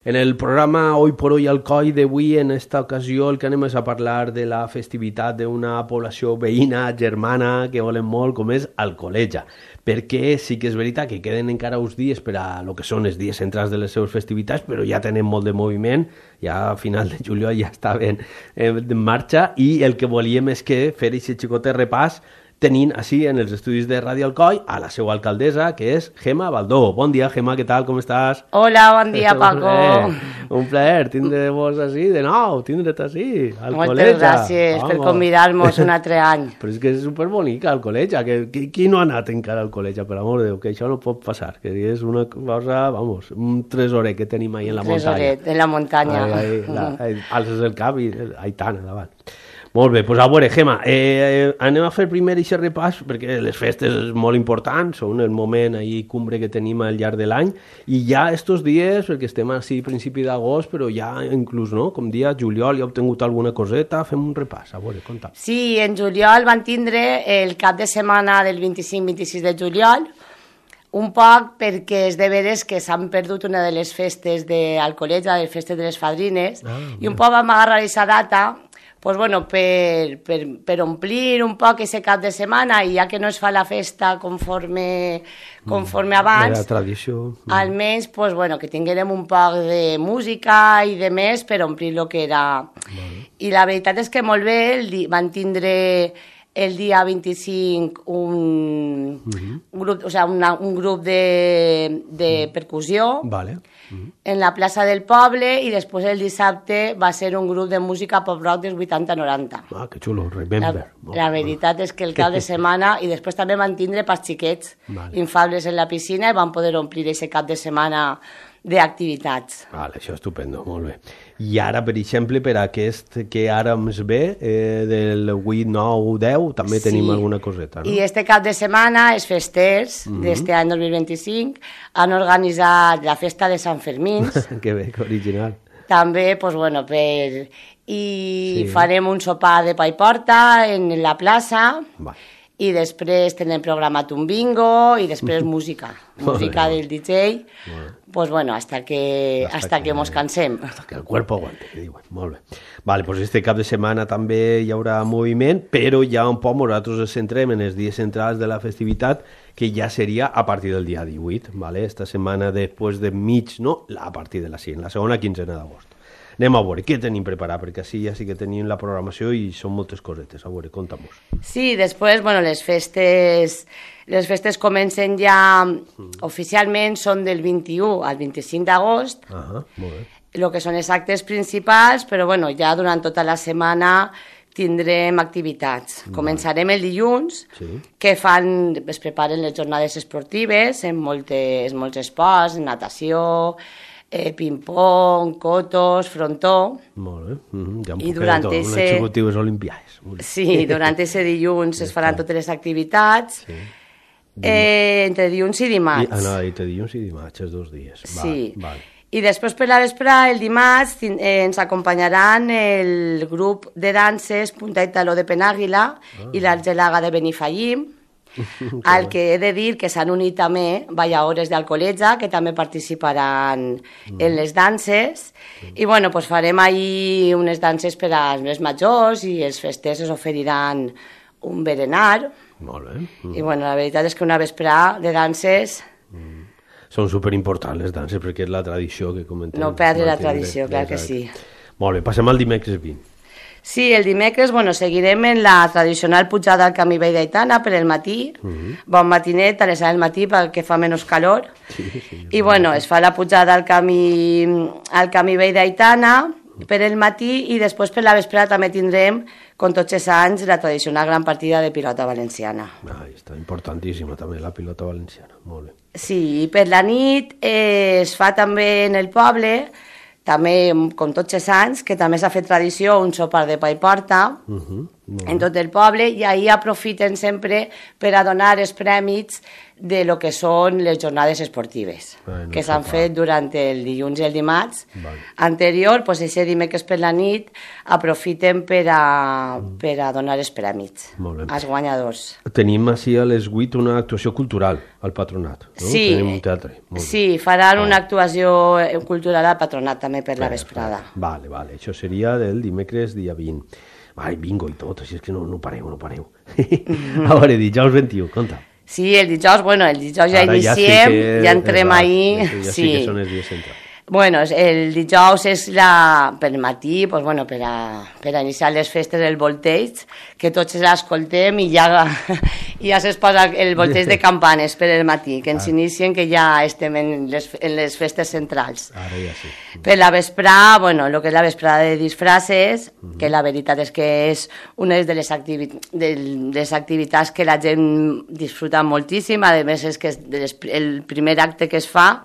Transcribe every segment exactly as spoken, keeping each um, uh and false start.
En el programa Hoy por Hoy Alcoi d'avui, en esta ocasió, el que anem és a parlar de la festivitat d'una població veïna, germana, que volen molt, com és Alcoleja. Perquè sí que és veritat que queden encara uns dies per a lo que són els dies centrals de les seves festivitats, però ja tenen molt de moviment, ja a final de juliol ja estaven en marxa, i el que volíem és que fer aquest xicotet repàs tenint així en els estudis de Ràdio Alcoi a la seva alcaldessa, que és Gemma Baldó. Bon dia, Gemma, què tal, com estàs? Hola, bon dia, Paco. Eh, un plaer tindre-vos així, de nou, tindre't així, al Moltes col·legi. gràcies Vamos. per convidar-nos un altre any. Però és que és superbonica el col·legi, que, que, qui no ha anat encara al col·legi, per amor de Déu, que això no pot passar, que és una cosa, vamos, un tresoret que tenim ahí en la muntanya. Tresoret, en la muntanya. Ai, ai, la, ai, alces el cap i Aitana, davant. Molt bé, doncs a veure, Gemma, eh, anem a fer primer aquest repàs, perquè les festes és molt importants, són el moment ahí cumbre que tenim al llarg de l'any, i ja estos dies, perquè estem així a principi d'agost, però ja inclús, no?, com dia juliol, ja heu obtingut alguna coseta, fem un repàs, a veure, conta. Sí, en juliol van tindre el cap de setmana del vint-i-cinc vint-i-sis de juliol, un poc perquè és de veres que s'han perdut una de les festes d'Alcoleja, les festes de les fadrines, ah, i un poc vam agarrar aquesta data pues bueno, per, per, per omplir un poc aquest cap de setmana, i ja que no es fa la festa conforme, conforme abans, la tradició. almenys pues bueno, que tinguérem un poc de música i de més per omplir el que era. Vale. I la veritat és que molt bé, el di... van tindre el dia vint-i-cinc un, uh-huh. un grup, o sea, una, un grup de, de uh-huh. percussió. Vale. Uh-huh. En la plaça del poble, i després el dissabte va ser un grup de música pop-rock dels vuitanta noranta. Ah, que xulo, remember. La, la veritat és que el cap de setmana, i després també van tindre pas xiquets vale. infables en la piscina, i van poder omplir aquest cap de setmana d'activitats. Vale, això és estupendo, molt bé. I ara, per exemple, per aquest que ara ens ve, eh, del vuit, nou, deu, també sí. tenim alguna coseta, no? I este cap de setmana, els festers mm-hmm. d'este any dos mil vint-i-cinc han organitzat la festa de Sant Fermín. Que bé, que original. També, pues bueno, per... I sí. farem un sopar de pa i porta en la plaça. Va. I després tenem programat un bingo, i després música, música del D J, bueno. pues bueno, hasta que, hasta hasta que, que mos cansem. Hasta que el cuerpo aguante, que diuen, molt bé. Vale, pues este cap de setmana també hi haurà moviment, però ja un poc nosaltres ens centrem en els dies centrals de la festivitat, que ja seria a partir del dia divuit, vale? Esta setmana després de mig, no, a partir de la cinc, la segona quinzena d'agost. Anem a veure què tenim preparat, perquè així ja sí que tenim la programació i són moltes cosetes. A veure, conta'm-ho. Sí, després, bueno, les festes, les festes comencen ja mm. oficialment, són del vint-i-u al vint-i-cinc d'agost. Ah, molt bé. El que són els actes principals, però bueno, ja durant tota la setmana tindrem activitats. Vale. Començarem el dilluns, sí. que fan, es preparen les jornades esportives, en moltes, molts esports, natació, Eh, ping-pong, cotos, frontó. Molt bé. Mm-hmm. Ja I durant tot, ese... unes xicotibes olimpiades. Sí, durant ese dilluns es faran totes les activitats. Sí. Eh, entre dilluns i dimarts. I, ah, no, entre dilluns i dimarts, els dos dies. Sí. Val, val. I després per la vesprà, el dimarts, eh, ens acompanyaran el grup de danses Punta i Taló de Penàguila ah. i l'Argelaga de Benifallim, al que he de dir que s'han unit també balladores d'Alcoleja, que també participaran mm. en les danses, mm. i bueno, pues farem ahí unes danses per als més majors, i els festers es oferiran un berenar. Molt bé. Mm. I bueno, la veritat és que una vesprà de danses... Mm. Són superimportants les danses, perquè és la tradició que comentem. No perdre la tradició, clar que sí. Molt bé, passem al dimecres vint. Sí, el dimecres, bueno, seguirem en la tradicional pujada al camí Vell d'Aitana per el matí, uh-huh. bon matinet, a les set del matí perquè fa menys calor, sí, sí, i bueno, es fa la pujada al camí, al camí Vell d'Aitana per el matí, i després per la vesprada també tindrem, com tots els anys, la tradicional gran partida de pilota valenciana. Ah, està importantíssima també la pilota valenciana, molt bé. Sí, i per la nit eh, es fa també en el poble, també, com tots els anys, que també s'ha fet tradició, un sopar de pa i porta, uh-huh. en tot el poble, i ahir aprofiten sempre per a donar els prèmits de lo que són les jornades esportives, bueno, que s'han fet durant el dilluns i el dimarts. Vale. Anterior, pues, ese dimecres per la nit, aprofiten per a, mm. per a donar els prèmits als guanyadors. Tenim així a les vuit una actuació cultural al Patronat, no? Sí, Tenim un teatre. Sí, faran una actuació cultural al Patronat també per la vesprada. Vale, vale, això seria del dimecres dia vint. Ai, bingo i tot, així és que no, no pareu, no pareu. A veure, dijous vint-i-u, conta. Sí, el dijous, bueno, el dijous ja Ara iniciem, ja, sí que, ja entrem ahir. Ja sí. sí que són els dies centrals. Bueno, el dijous és la, per matí, pues, bueno, per, a, per a iniciar les festes del volteig, que tots l'escoltem i ja, ja es posa el volteig de campanes per el matí, que ens ah. inicien, que ja estem en les, en les festes centrals. Ara ja sí. Per la vesprada, bueno, el que és la vesprada de disfraces, uh -huh. que la veritat és que és una de les, activi de les activitats que la gent disfruta moltíssim, a més és que és el primer acte que es fa.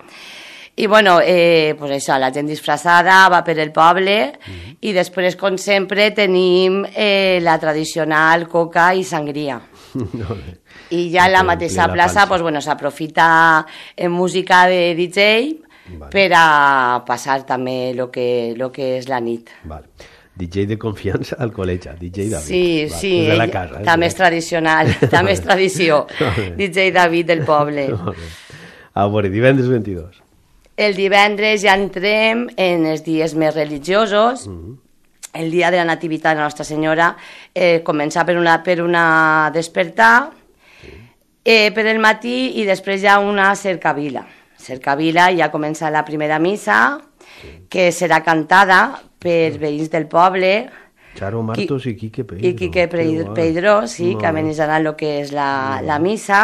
I, bueno, eh, pues això, la gent disfressada va per el poble mm-hmm. i després, com sempre, tenim eh, la tradicional coca i sangria. No, I ja en la mateixa plaça, pues, bueno, s'aprofita en música de D J vale. Per a passar també lo que, lo que és la nit. Vale. D J de confiança al col·legi, D J David. Sí, vale. sí, de la casa, eh? també és tradicional, també és tradició. D J David del poble. A veure, divendres vint-i-dos. El divendres ja entrem en els dies més religiosos. Mm-hmm. El dia de la Nativitat de Nostra Senyora eh, comença per una, per una despertar sí. eh, per el matí i després hi ha una cercavila. Cercavila ja comença la primera missa, sí. que serà cantada per veïns del poble. Charo Martos i Quique Peidro. I Quique Peidro, sí, no. que amenisaran el que és la, no. la missa.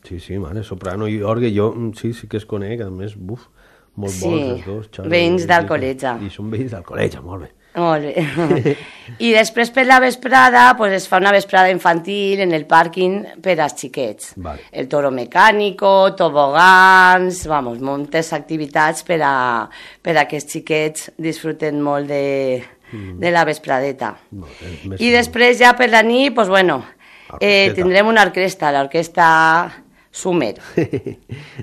Sí, sí, mare, soprano i orgue, jo sí, sí que es conec, a més, buf, molt sí. bons els dos. Charo, veïns del col·legi. I són veïns del col·legi, molt bé. Molt bé. I després per la vesprada pues, es fa una vesprada infantil en el pàrquing per als xiquets. Vale. El toro mecànico, tobogans, vamos, moltes activitats per a, per a que els xiquets disfruten molt de, mm. de la vespradeta. Molt bé. I després ja per la nit, pues, bueno, eh, tindrem una orquestra, l'orquestra Sumer.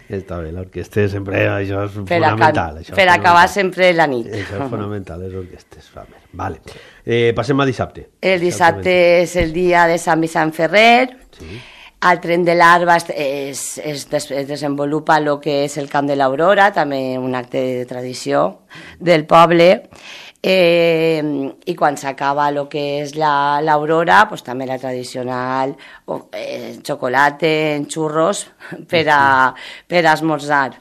Està bé, l'orquestra sempre, això és per fonamental. Això per és acabar fonamental. sempre la nit. Això és fonamental, les orquestres. Vale. Eh, passem a dissabte. El dissabte és el dia de Sant Vicent Ferrer. Sí. Al tren de l'Arba es, es, es, des, es desenvolupa el que és el Camp de l'Aurora, també un acte de tradició del poble. Eh, i quan s'acaba el que és l'Aurora, pues, també la tradicional eh, xocolata en xurros per a, per a esmorzar.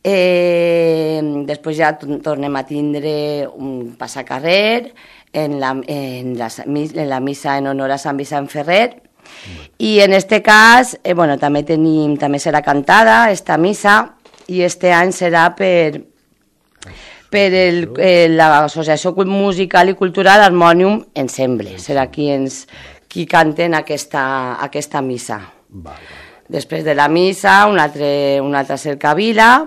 Eh, després ja tornem a tindre un passacarrer en la, en, la, en la missa en honor a Sant Vicent Ferrer. I en este cas, eh, bueno, també tenim, també serà cantada esta missa i este any serà per per el, eh, l'Associació Musical i Cultural Harmonium Ensemble. Serà qui, ens, qui canten aquesta, aquesta missa. Després de la missa, una altra, una altra cercavila,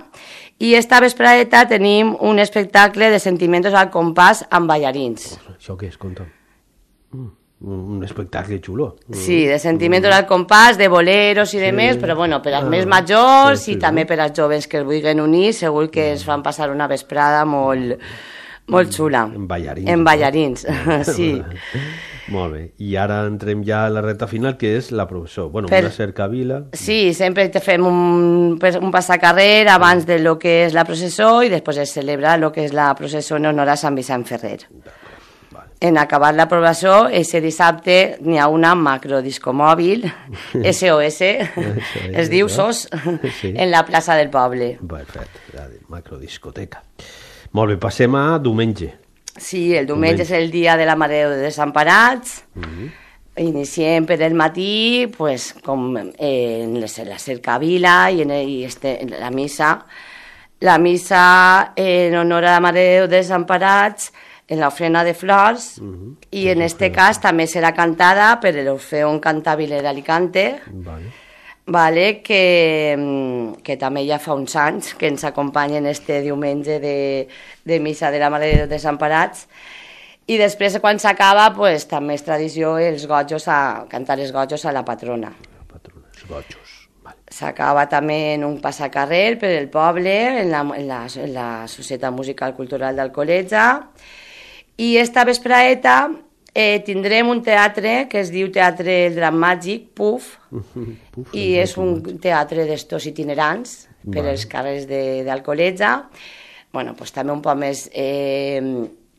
i esta vespradeta tenim un espectacle de Sentimientos al compàs amb ballarins. Això què és? Conta'm. Mm. Un espectacle xulo. Sí, de Sentimientos al compàs, de boleros i sí. de més, però bueno, per als ah, més majors sí, sí, i també per als joves que es vulguin unir, segur que es fan passar una vesprada molt, molt xula. En ballarins. En ballarins, no? Sí. Molt bé. I ara entrem ja a la recta final, que és la processó. Bueno, per... una cercavila. Sí, sempre te fem un, un passacarrer abans de lo que és la processó i després es celebra lo que és la processó en honor a Sant Vicent Ferrer. En acabar la processó, ese dissabte n'hi ha una macrodiscomòbil, S O S, es diu S O S, sí. en la plaça del poble. Perfecte, la macrodiscoteca. Molt bé, passem a diumenge. Sí, el diumenge, diumenge. és el dia de la Mare de Déu dels Desemparats. Mm-hmm. Iniciem per el matí, pues, com en la cercavila i en el, este, en la missa. La missa en honor a la Mare de Déu dels Desemparats en l'ofrena de flors, uh-huh. i en este cas també serà cantada per l'Orfeón Cantabile d'Alicante, vale. Vale, que, que també ja fa uns anys que ens acompanyen este diumenge de, de missa de la Mare de Déu dels Desemparats. I després, quan s'acaba, pues, també és tradició els gojos a, cantar els gojos a la patrona. La patrona, els gojos. S'acaba també en un passacarrer per el poble, en la, en la, en la Societat Musical Cultural d'Alcoletge. I esta vespraeta eh, tindrem un teatre que es diu Teatre El Drac Màgic, Puf, Puf i és un teatre d'estos itinerants per vale. Els carrers d'Alcoletge. Bueno, pues, també un poc més eh,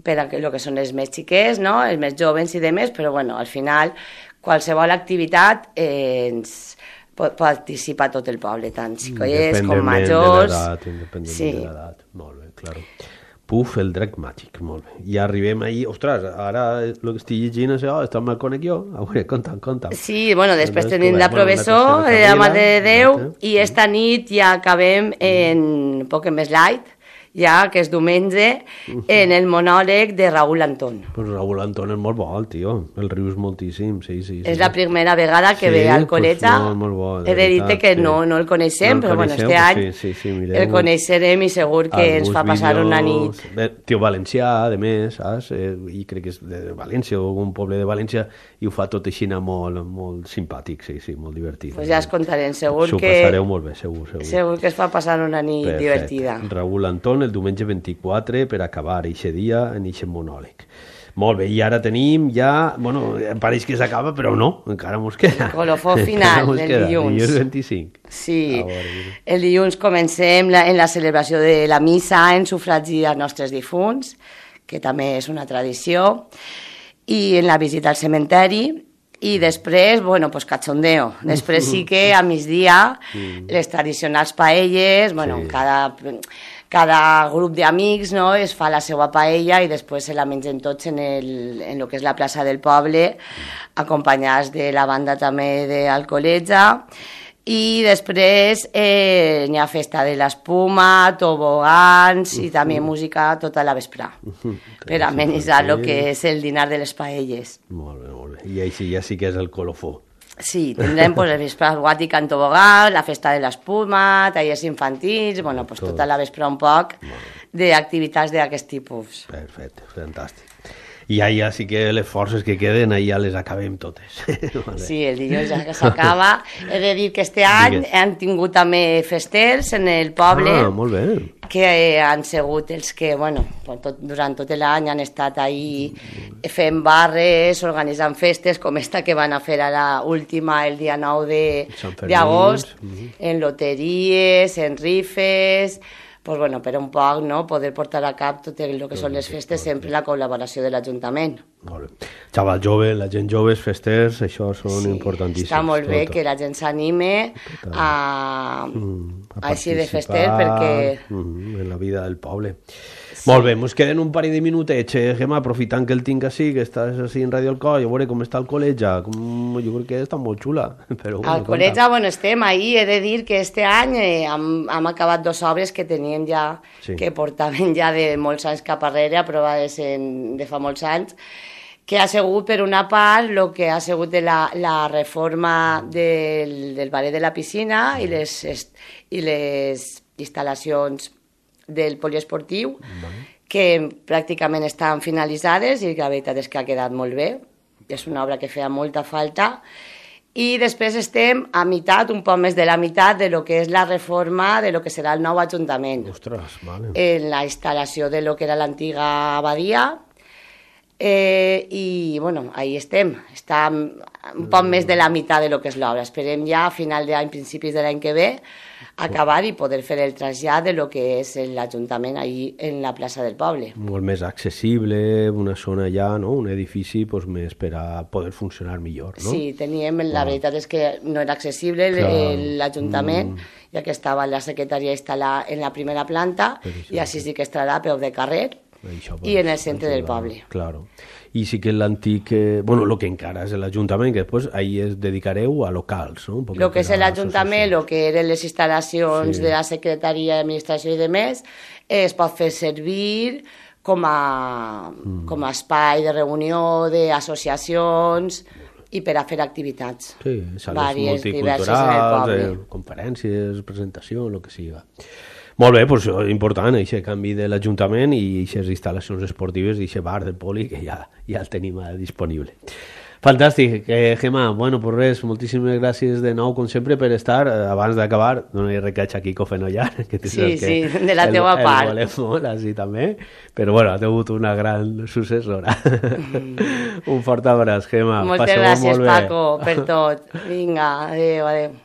per a el que són els més xiquets, no? Els més joves i demés, però bueno, al final qualsevol activitat eh, ens participa tot el poble, tant xicollers com majors. Independentment sí. de l'edat, molt bé, claro. Puf, el drac màgic, molt bé. I arribem ahí, ostres, ara el que estic llegint això, està mal conec jo, a veure, conta'm, conta'm. Sí, bueno, després tenim la professó, la Mare de Déu, i esta nit ja acabem en poc més light, ja que és diumenge, en el monòleg de Raúl Antón. Pues Raúl Antón és molt bo, el tio, el rius moltíssim, sí, sí. sí. És la primera vegada que sí, ve al Alcoletge. Pues molt, molt bo, he de dir que sí. no, no el coneixem, no el però coneixem, bueno, este any sí, sí, sí, el coneixerem i segur que ens fa passar vídeos, una nit. Bé, tio valencià, de més, saps? Eh, I crec que és de València o un poble de València i ho fa tot així molt, molt simpàtic, sí, sí, molt divertit. Pues ja es contarem, segur que... S'ho passareu molt bé, segur, segur. Segur que es fa passar una nit Perfecte. divertida. Raúl Antón, el diumenge vint-i-quatre per acabar eixe dia en eixe monòleg. Molt bé, i ara tenim ja... Bueno, pareix que s'acaba, però no, encara mos queda. El colofó final del queda. dilluns. Dilluns vint-i-cinc. Sí, el dilluns comencem la, en la celebració de la missa en sufragi als nostres difunts, que també és una tradició, i en la visita al cementeri, i després, bueno, pues cachondeo. Després sí que a migdia les tradicionals paelles, bueno, sí. cada... Cada grup d'amics, no, es fa la seva paella i després se la mengen tots en, el, en el que és la plaça del poble, acompanyats de la banda també d'Alcoletge. I després eh, hi ha festa de l'espuma, tobogans i també música tota la vesprà, per amenitzar el que és el dinar de les paelles. Molt bé, molt bé. I així ja sí que és el colofó. Sí, tindrem pues, el vespre guàtic en tobogà, la festa de l'espuma, tallers infantils, bueno, pues, tota la vespre un poc d'activitats d'aquest tipus. Perfecte, fantàstic. I ja, ja sí que les forces que queden, ja les acabem totes. Vale. Sí, el dilluns ja que s'acaba. He de dir que este any Digues. han tingut també festers en el poble. Ah, molt bé. Que han sigut els que, bueno, tot, durant tot l'any han estat ahí fent barres, organitzant festes, com esta que van a fer a la última el dia nou d'agost, uh-huh. en loteries, en rifes... Pues bueno, per un poc, no?, poder portar a cap tot el que són les festes, sempre la col·laboració de l'Ajuntament. Molt bé. Xaval jove, la gent jove, festers, això són sí, importantíssims. Està molt bé tot. Que la gent s'anime a, mm, a així de fester, perquè... Mm, en la vida del poble. Sí. Molt bé, ens queden un parell de minutets, eh, Gemma, aprofitant que el tinc així, que estàs així en Radio Alcoy, a veure com està el col·legi, com... jo crec que està molt xula. Però, bueno, al col·legi, bueno, estem ahí, he de dir que este any eh, hem, hem acabat dos obres que teníem ja, sí. que portaven ja de molts anys cap arrere, aprovades en, de fa molts anys, que ha sigut, per una part, el que ha sigut de la, la reforma del, del ballet de la piscina i les, i les instal·lacions del poliesportiu, vale. que pràcticament estan finalitzades i que la veritat és que ha quedat molt bé. És una obra que feia molta falta. I després estem a meitat, un poc més de la meitat, de lo que és la reforma de lo que serà el nou Ajuntament. Ostres, vale. En la instal·lació de lo que era l'antiga abadia. Eh, I, bueno, ahí estem. Està un poc més de la meitat de lo que és l'obra. Esperem ja a final d'any, principis de l'any que ve, acabar i poder fer el trasllat de lo que és l'Ajuntament ahí en la plaça del poble. Molt més accessible, una zona allà, no? Un edifici pues, més per a poder funcionar millor, no? Sí, teníem, la ah. veritat és que no era accessible l'Ajuntament, mm. ja que estava la secretaria instal·lada en la primera planta, i així sí que estarà a peu de carrer, Això, i en el centre del poble. Claro. I sí que l'antic, eh, bueno, el que encara és l'Ajuntament, que després ahí es dedicareu a locals, no? El que és l'Ajuntament, el que eren les instal·lacions sí. de la Secretaria d'Administració i de més, es pot fer servir com a, mm. com a espai de reunió d'associacions i per a fer activitats. Sí, sales multiculturals, eh, conferències, presentació, el que siga. Molt bé, doncs important, aquest canvi de l'Ajuntament i aquestes instal·lacions esportives i aquest bar del poli que ja, ja el tenim disponible. Fantàstic, eh, Gemma, bueno, pues res, moltíssimes gràcies de nou, com sempre, per estar. Abans d'acabar, donar recaig a Quico Fenollar, que tu Sí, saps sí, que de la el, teva el part. volem molt, així també, però bueno, ha tingut una gran successora. Un fort abraç, Gemma. Moltes Passeu-ho gràcies, molt bé. Paco, per tot. Vinga, adéu, adéu.